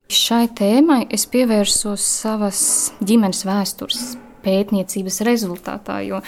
Šai tēmai es pievērsos savas ģimenes vēstures pētniecības rezultātā, jo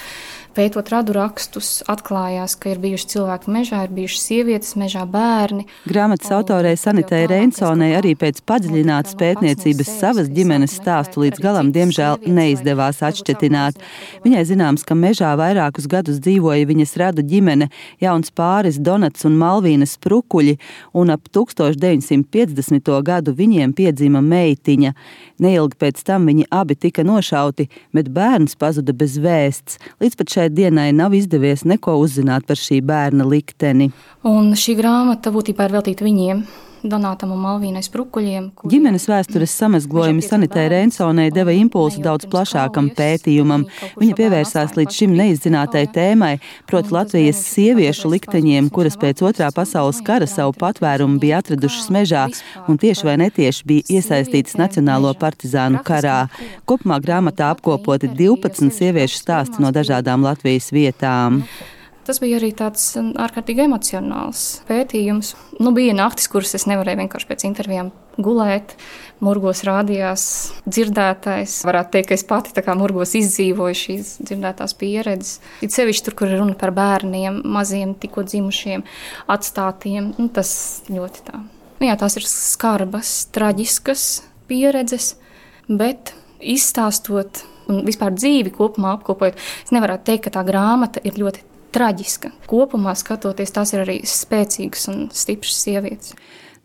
pētot radu rakstus, atklājās, ka ir bijuši cilvēki mežā, ir bijušas sievietes mežā, bērni. Grāmatas autorei Sanitei Reinsonei arī pēc padziļinātas pētniecības savas ģimenes stāstu līdz galam, diemžēl, neizdevās atšķetināt. Viņai zināms, ka mežā vairākus gadus dzīvoja viņas radu ģimene, jauns pāris Donats un Malvīna Sprukuļi, un ap 1950. gadu viņiem piedzima meitiņa. Neilgi pēc tam viņi abi tika nošauti, bet bērns pazuda bez vēsts. Līdz pat šai dienai nav izdevies neko uzzināt par šī bērna likteni. Un šī grāmata būtībā ir veltīta viņiem, Donātam un Malvīnai Sprukuļiem. Ģimenes vēstures samazglojumi Sanitei Reinsonei deva impulsu daudz plašākam pētījumam. Viņa pievērsās līdz šim neizzinātai tēmai, proti Latvijas sieviešu likteņiem, kuras pēc Otrā pasaules kara savu patvērumu bija atradušas mežā un tieši vai netieši bija iesaistītas Nacionālo partizānu karā. Kopumā grāmatā apkopoti 12 sieviešu stāsti no dažādām Latvijas vietām. Tas bija arī tāds ārkārtīgi emocionāls pētījums. Bija naktis, kuras es nevarēju vienkārši pēc intervijām gulēt. Murgos rādījās dzirdētais. Varētu teikt, ka es pati tā kā murgos izdzīvoju šīs dzirdētās pieredzes. It sevišķi tur, kur ir runa par bērniem, maziem, tikko dzimušiem, atstātiem. Tas ļoti tā. Tās ir skarbas, traģiskas pieredzes, bet izstāstot un vispār dzīvi kopumā apkopojot, es nevarētu teikt, ka tā grāmata ir ļoti traģiska. Kopumā skatoties, tās ir arī spēcīgas un stipras sievietes.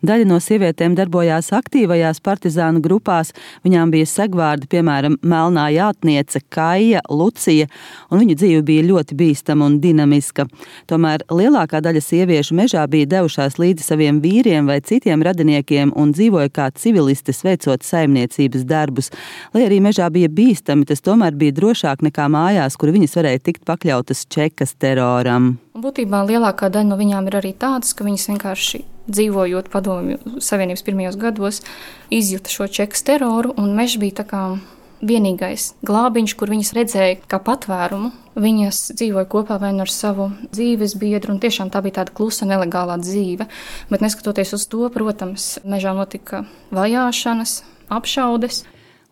Daļa no sievietēm darbojās aktīvajās partizānu grupās. Viņām bija segvārdi, piemēram, Melnā jātniece, Kaija, Lucija, un viņu dzīve bija ļoti bīstama un dinamiska. Tomēr lielākā daļa sieviešu mežā bija devušās līdzi saviem vīriem vai citiem radiniekiem un dzīvoja kā civilistes, veicot saimniecības darbus. Lai arī mežā bija bīstami, tas tomēr bija drošāk nekā mājās, kur viņas varēja tikt pakļautas čekas teroram. Būtībā lielākā daļa no viņām ir arī tādas, ka viņas vienkārši dzīvojot Padomju Savienības pirmajos gados, izjuta šo čekas teroru, un mežs bija tā kā vienīgais glābiņš, kur viņas redzēja kā patvērumu. Viņas dzīvoja kopā vai ar savu dzīves biedru, un tiešām tā bija tāda klusa, nelegālā dzīve. Bet neskatoties uz to, protams, mežā notika vajāšanas, apšaudes.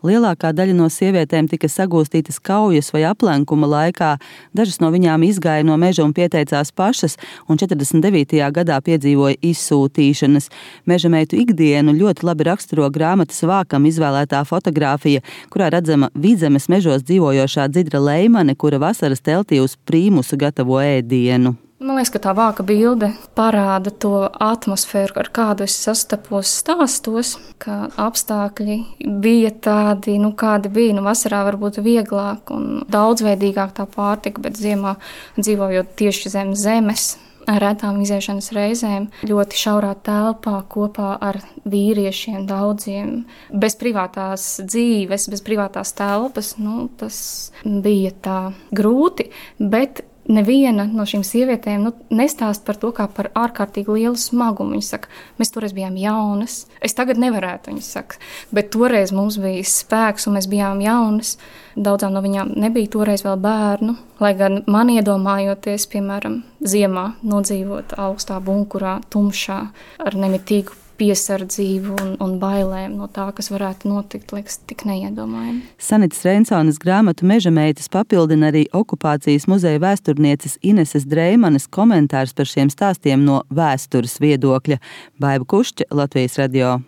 Lielākā daļa no sievietēm tika sagūstītas kaujas vai aplenkuma laikā. Dažas no viņām izgāja no meža un pieteicās pašas, un 49. gadā piedzīvoja izsūtīšanas. Meža meitu ikdienu ļoti labi raksturo grāmatas vākam izvēlētā fotogrāfija, kurā redzama Vidzemes mežos dzīvojošā Dzidra Leimane, kura vasaras teltī uz prīmusu gatavo ēdienu. Man liekas, ka tā vāka bilde parāda to atmosfēru, ar kādu es sastapos stāstos, ka apstākļi bija tādi, kādi bija. Vasarā varbūt vieglāk un daudzveidīgāk tā pārtika, bet ziemā dzīvojot tieši zem zemes, ar retām iziešanas reizēm, ļoti šaurā telpā kopā ar vīriešiem daudziem, bez privātās dzīves, bez privātās telpas, tas bija tā grūti, bet neviena no šīm sievietēm nestāst par to kā par ārkārtīgi lielu smagumu. Viņa saka, mēs toreiz bijām jaunas. Es tagad nevarētu, viņa saka, bet toreiz mums bija spēks un mēs bijām jaunas. Daudzām no viņām nebija toreiz vēl bērnu, lai gan man iedomājoties, piemēram, ziemā nodzīvot augstā bunkurā, tumšā, ar nemitīgu piesardzību un bailēm no tā, kas varētu notikt, liekas tik neiedomājami. Sanitas Reinsones grāmatu Meža meitas papildina arī okupācijas muzeja vēsturnieces Ineses Dreimanes komentārs par šiem stāstiem no vēstures viedokļa. Baiva Kušķa, Latvijas radio.